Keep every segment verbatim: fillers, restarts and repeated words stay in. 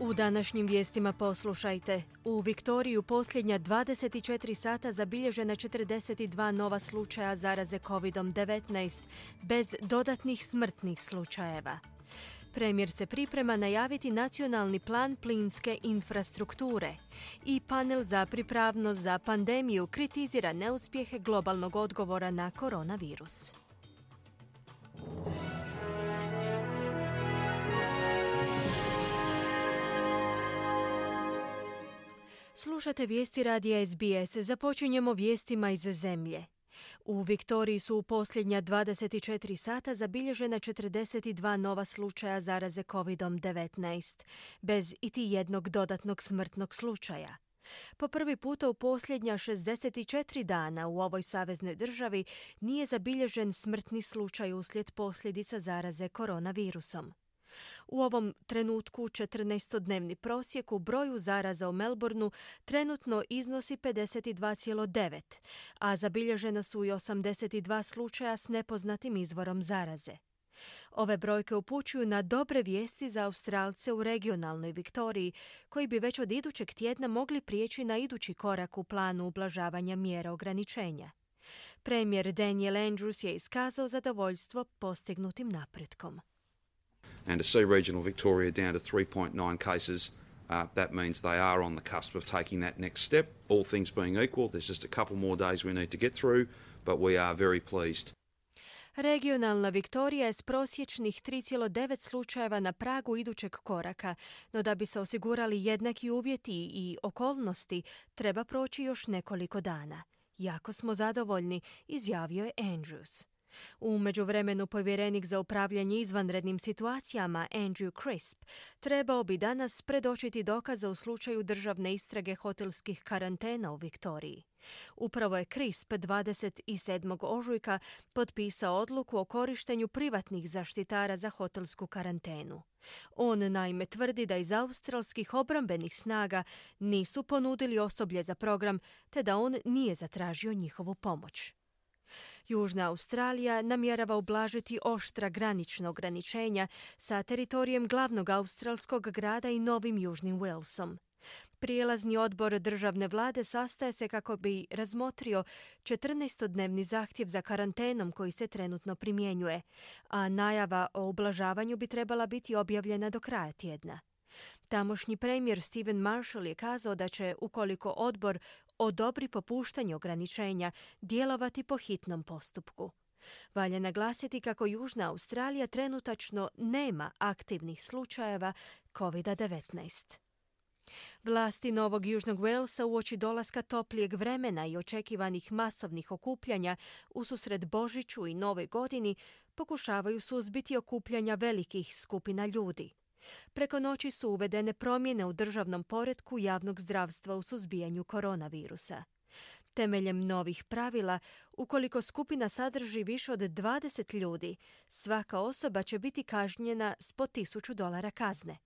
U današnjim vijestima poslušajte. U Viktoriji posljednja dvadeset četiri sata zabilježena četrdeset dva nova slučaja zaraze kovid devetnaest, bez dodatnih smrtnih slučajeva. Premijer se priprema najaviti nacionalni plan plinske infrastrukture i panel za pripravnost za pandemiju kritizira neuspjehe globalnog odgovora na koronavirus. Slušate vijesti radija S B S. Započinjemo vijestima iz zemlje. U Viktoriji su u posljednja dvadeset četiri sata zabilježena četrdeset dva nova slučaja zaraze kovid devetnaest, bez iti jednog dodatnog smrtnog slučaja. Po prvi puta u posljednja šezdeset četiri dana u ovoj saveznoj državi nije zabilježen smrtni slučaj uslijed posljedica zaraze koronavirusom. U ovom trenutku četrnaestodnevni prosjek u broju zaraza u Melbourneu trenutno iznosi pedeset dva zarez devet, a zabilježena su i osamdeset dva slučaja s nepoznatim izvorom zaraze. Ove brojke upućuju na dobre vijesti za Australce u regionalnoj Viktoriji, koji bi već od idućeg tjedna mogli prijeći na idući korak u planu ublažavanja mjera ograničenja. Premijer Daniel Andrews je iskazao zadovoljstvo postignutim napretkom. And to see regional Victoria down to three point nine cases, uh, that means they are on the cusp of taking that next step. All things being equal, there's just a couple more days we need to get through, but we are very pleased. Regionalna Viktorija je s prosječnih tri zarez devet slučajeva na pragu idućeg koraka, no da bi se osigurali jednaki uvjeti i okolnosti, treba proći još nekoliko dana. Jako smo zadovoljni, izjavio je Andrews. U međuvremenu povjerenik za upravljanje izvanrednim situacijama Andrew Crisp trebao bi danas predočiti dokaze u slučaju državne istrage hotelskih karantena u Viktoriji. Upravo je Crisp dvadeset sedmog ožujka potpisao odluku o korištenju privatnih zaštitara za hotelsku karantenu. On naime tvrdi da iz australskih obrambenih snaga nisu ponudili osoblje za program, te da on nije zatražio njihovu pomoć. Južna Australija namjerava ublažiti oštra granična ograničenja sa teritorijem glavnog australskog grada i Novim Južnim Walesom. Prijelazni odbor državne vlade sastaje se kako bi razmotrio četrnaestodnevni zahtjev za karantenom koji se trenutno primjenjuje, a najava o ublažavanju bi trebala biti objavljena do kraja tjedna. Tamošnji premijer Stephen Marshall je kazao da će, ukoliko odbor odobri popuštanje ograničenja, djelovati po hitnom postupku. Valja naglasiti kako Južna Australija trenutačno nema aktivnih slučajeva kovid devetnaest. Vlasti Novog Južnog Walesa uoči dolaska toplijeg vremena i očekivanih masovnih okupljanja ususret Božiću i Novoj godini pokušavaju suzbiti okupljanja velikih skupina ljudi. Preko noći su uvedene promjene u državnom poretku javnog zdravstva u suzbijanju koronavirusa. Temeljem novih pravila, ukoliko skupina sadrži više od dvadeset ljudi, svaka osoba će biti kažnjena s po tisuću dolara kazne.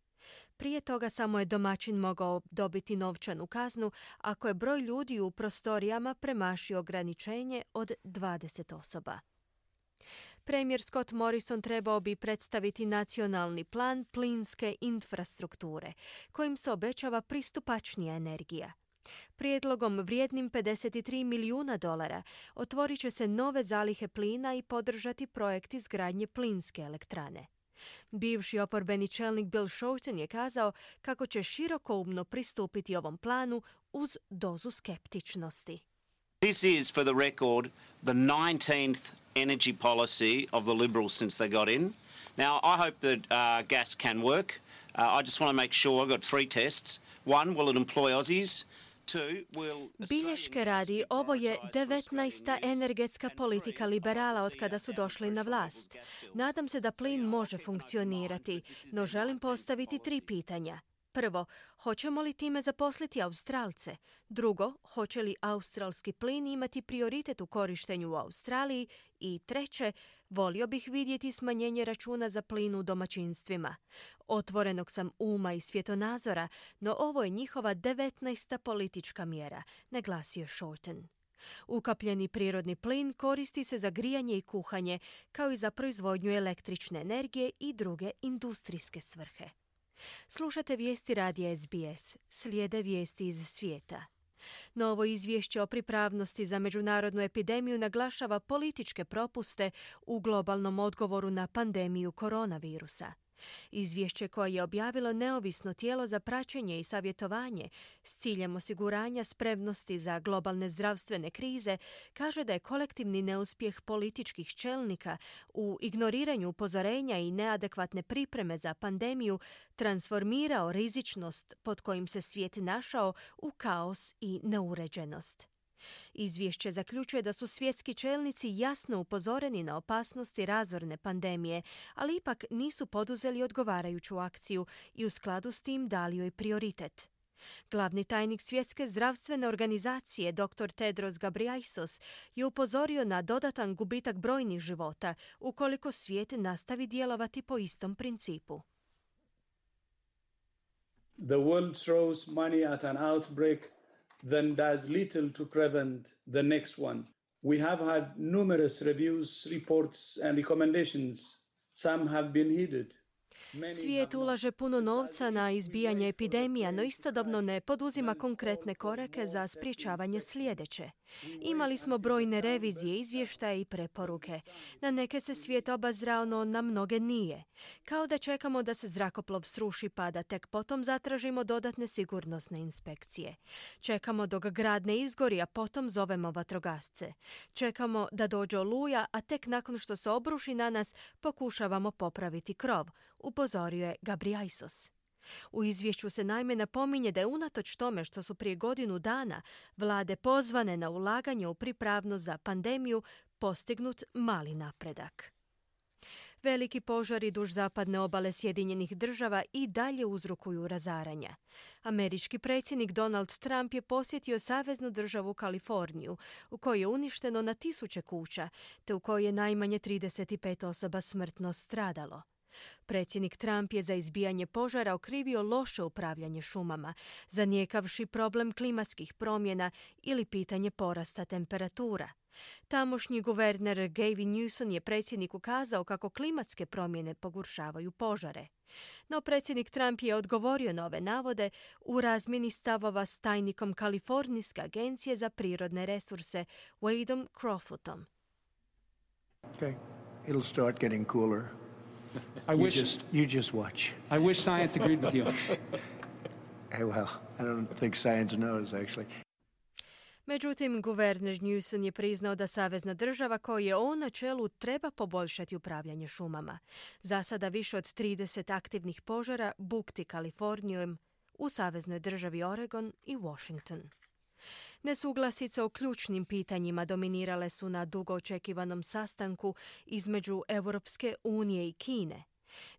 Prije toga samo je domaćin mogao dobiti novčanu kaznu ako je broj ljudi u prostorijama premašio ograničenje od dvadeset osoba. Premijer Scott Morrison trebao bi predstaviti nacionalni plan plinske infrastrukture, kojim se obećava pristupačnija energija. Prijedlogom vrijednim pedeset tri milijuna dolara otvorit će se nove zalihe plina i podržati projekt izgradnje plinske elektrane. Bivši oporbeni čelnik Bill Shorten je kazao kako će širokoumno pristupiti ovom planu uz dozu skeptičnosti. This is, for the record, the nineteenth energy policy of the Liberals since they got in. Now, I hope that uh, gas can work. Uh, I just want to make sure, I've got three tests. One, will it employ Aussies? Bilješke radi, ovo je devetnaesta energetska politika liberala od kada su došli na vlast. Nadam se da plin može funkcionirati, no želim postaviti tri pitanja. Prvo, hoćemo li time zaposliti Australce? Drugo, hoće li australski plin imati prioritet u korištenju u Australiji? I treće, volio bih vidjeti smanjenje računa za plin u domaćinstvima. Otvorenog sam uma i svjetonazora, no ovo je njihova devetnaesta politička mjera, naglasio Shorten. Ukapljeni prirodni plin koristi se za grijanje i kuhanje, kao i za proizvodnju električne energije i druge industrijske svrhe. Slušate vijesti radija S B S. Slijede vijesti iz svijeta. Novo izvješće o pripravnosti za međunarodnu epidemiju naglašava političke propuste u globalnom odgovoru na pandemiju koronavirusa. Izvješće koje je objavilo neovisno tijelo za praćenje i savjetovanje s ciljem osiguranja spremnosti za globalne zdravstvene krize kaže da je kolektivni neuspjeh političkih čelnika u ignoriranju upozorenja i neadekvatne pripreme za pandemiju transformirao rizičnost pod kojim se svijet našao u kaos i neuređenost. Izvješće zaključuje da su svjetski čelnici jasno upozoreni na opasnosti razorne pandemije, ali ipak nisu poduzeli odgovarajuću akciju i u skladu s tim dali joj prioritet. Glavni tajnik Svjetske zdravstvene organizacije doktor Tedros Ghebreyesus je upozorio na dodatan gubitak brojnih života ukoliko svijet nastavi djelovati po istom principu. The world throws money at an outbreak then does little to prevent the next one. We have had numerous reviews, reports and recommendations. Some have been heeded. Svijet ulaže puno novca na izbijanje epidemija, no istodobno ne poduzima konkretne korake za sprječavanje sljedeće. Imali smo brojne revizije, izvještaje i preporuke. Na neke se svijet obazrao, no na mnoge nije. Kao da čekamo da se zrakoplov sruši pa da tek potom zatražimo dodatne sigurnosne inspekcije. Čekamo dok grad ne izgori, a potom zovemo vatrogasce. Čekamo da dođe oluja, a tek nakon što se obruši na nas pokušavamo popraviti krov, upozorio je Ghebreyesus. U izvješću se naime napominje da je unatoč tome što su prije godinu dana vlade pozvane na ulaganje u pripravnost za pandemiju postignut mali napredak. Veliki požari duž zapadne obale Sjedinjenih država i dalje uzrokuju razaranja. Američki predsjednik Donald Trump je posjetio saveznu državu Kaliforniju, u kojoj je uništeno na tisuće kuća, te u kojoj je najmanje trideset pet osoba smrtno stradalo. Predsjednik Trump je za izbijanje požara okrivio loše upravljanje šumama, zanijekavši problem klimatskih promjena ili pitanje porasta temperatura. Tamošnji guverner Gavin Newsom je predsjedniku kazao kako klimatske promjene pogoršavaju požare. No predsjednik Trump je odgovorio na ove navode u razmjeni stavova s tajnikom Kalifornijske agencije za prirodne resurse Wadeom Crofootom. Okay, it'll start getting cooler. I you wish just you just watch. I wish science agreed with you. Hey, well, I don't think science knows actually. Međutim, guverner Newsom je priznao da savezna država koju je on na čelu treba poboljšati upravljanje šumama. Za sada više od trideset aktivnih požara bukti Kalifornijom u saveznoj državi Oregon i Washington. Nesuglasice o ključnim pitanjima dominirale su na dugo očekivanom sastanku između Europske unije i Kine.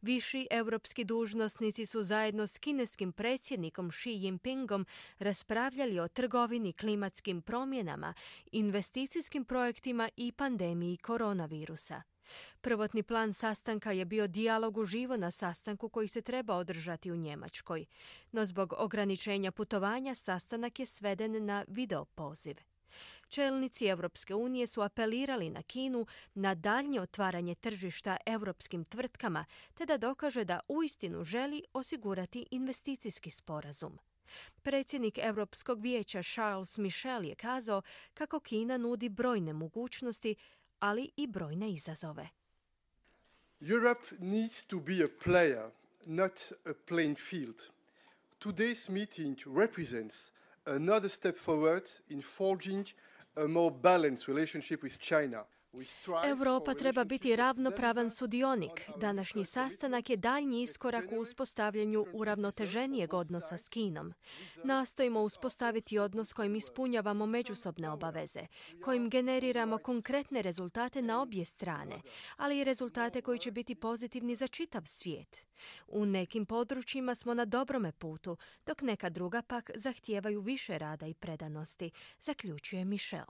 Viši europski dužnosnici su zajedno s kineskim predsjednikom Xi Jinpingom raspravljali o trgovini, klimatskim promjenama, investicijskim projektima i pandemiji koronavirusa. Prvotni plan sastanka je bio dijalog uživo na sastanku koji se treba održati u Njemačkoj, no zbog ograničenja putovanja sastanak je sveden na video poziv. Čelnici Europske unije su apelirali na Kinu na daljnje otvaranje tržišta europskim tvrtkama te da dokaže da uistinu želi osigurati investicijski sporazum. Predsjednik Europskog vijeća Charles Michel je kazao kako Kina nudi brojne mogućnosti, ali i brojne izazove. Europe needs to be a player, not a playing field. Today's meeting represents another step forward in forging a more balanced relationship with China. Europa treba biti ravnopravan sudionik. Današnji sastanak je daljnji iskorak u uspostavljanju uravnoteženijeg odnosa s Kinom. Nastojimo uspostaviti odnos kojim ispunjavamo međusobne obaveze, kojim generiramo konkretne rezultate na obje strane, ali i rezultate koji će biti pozitivni za čitav svijet. U nekim područjima smo na dobrome putu, dok neka druga pak zahtijevaju više rada i predanosti, zaključuje Michel.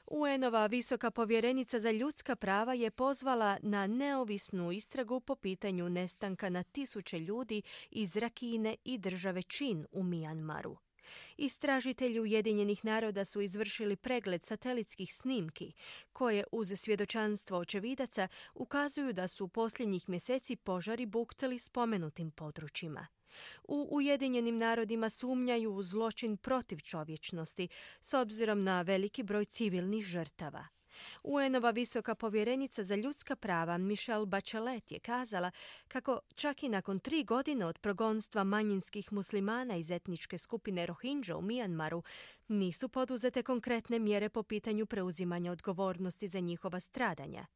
U en-ova visoka povjerenica za ljudska prava je pozvala na neovisnu istragu po pitanju nestanka na tisuće ljudi iz Rakine i države Čin u Mijanmaru. Istražitelji Ujedinjenih naroda su izvršili pregled satelitskih snimki, koje uz svjedočanstvo očevidaca ukazuju da su posljednjih mjeseci požari buktali spomenutim područjima. U Ujedinjenim narodima sumnjaju u zločin protiv čovječnosti s obzirom na veliki broj civilnih žrtava. U en-ova visoka povjerenica za ljudska prava Michelle Bachelet je kazala kako čak i nakon tri godine od progonstva manjinskih muslimana iz etničke skupine Rohingya u Mijanmaru nisu poduzete konkretne mjere po pitanju preuzimanja odgovornosti za njihova stradanja.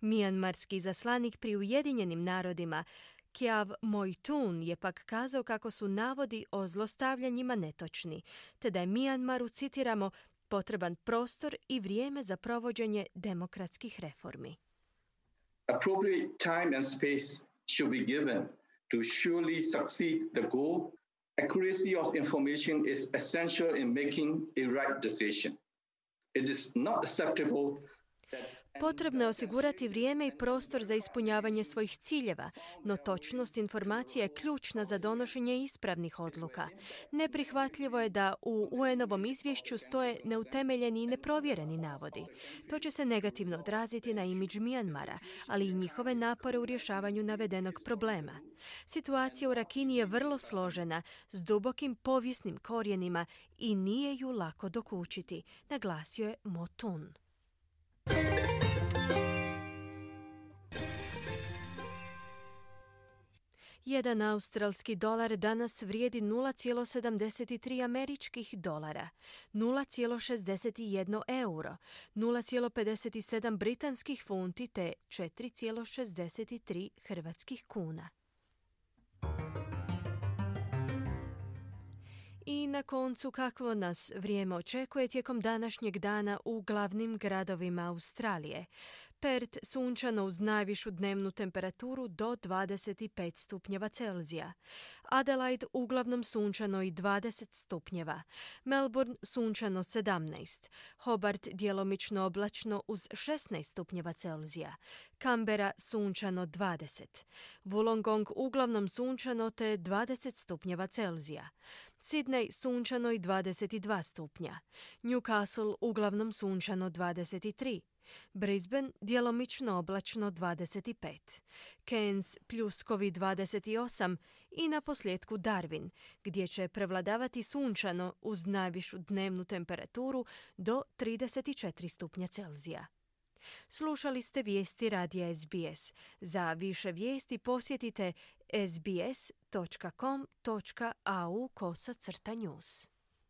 Mijanmarski zaslanik pri Ujedinjenim narodima Kyaw Moe-tun je pak kazao kako su navodi o zlostavljanjima netočni, te da je Mijanmaru, citiramo, potreban prostor i vrijeme za provođenje demokratskih reformi. Appropriate time and space should be given to surely succeed the goal. Accuracy of information is essential in making a right decision. It is not acceptable. Potrebno je osigurati vrijeme i prostor za ispunjavanje svojih ciljeva, no točnost informacija je ključna za donošenje ispravnih odluka. Neprihvatljivo je da u U en-ovom izvješću stoje neutemeljeni i neprovjereni navodi. To će se negativno odraziti na imidž Mijanmara, ali i njihove napore u rješavanju navedenog problema. Situacija u Rakini je vrlo složena, s dubokim povijesnim korijenima i nije ju lako dokučiti, naglasio je Moe-tun. Jedan australski dolar danas vrijedi nula zarez sedamdeset tri američkih dolara, nula zarez šezdeset jedan euro, nula zarez pedeset sedam britanskih funti te četiri zarez šezdeset tri hrvatskih kuna. I na koncu, kakvo nas vrijeme očekuje tijekom današnjeg dana u glavnim gradovima Australije. Perth sunčano uz najvišu dnevnu temperaturu do dvadeset pet stupnjeva Celzija. Adelaide uglavnom sunčano i dvadeset stupnjeva. Melbourne sunčano sedamnaest. Hobart djelomično oblačno uz šesnaest stupnjeva Celzija. Canberra sunčano dvadeset. Wollongong uglavnom sunčano te dvadeset stupnjeva Celzija. Sydney sunčano i dvadeset dva stupnja. Newcastle uglavnom sunčano dvadeset tri. Brisbane djelomično oblačno dvadeset pet, Cairns pljuskovi dvadeset osam i na posljedku Darwin, gdje će prevladavati sunčano uz najvišu dnevnu temperaturu do trideset četiri stupnja Celzija. Slušali ste vijesti radija es be es. Za više vijesti posjetite es be es točka com točka a u kosa crta news.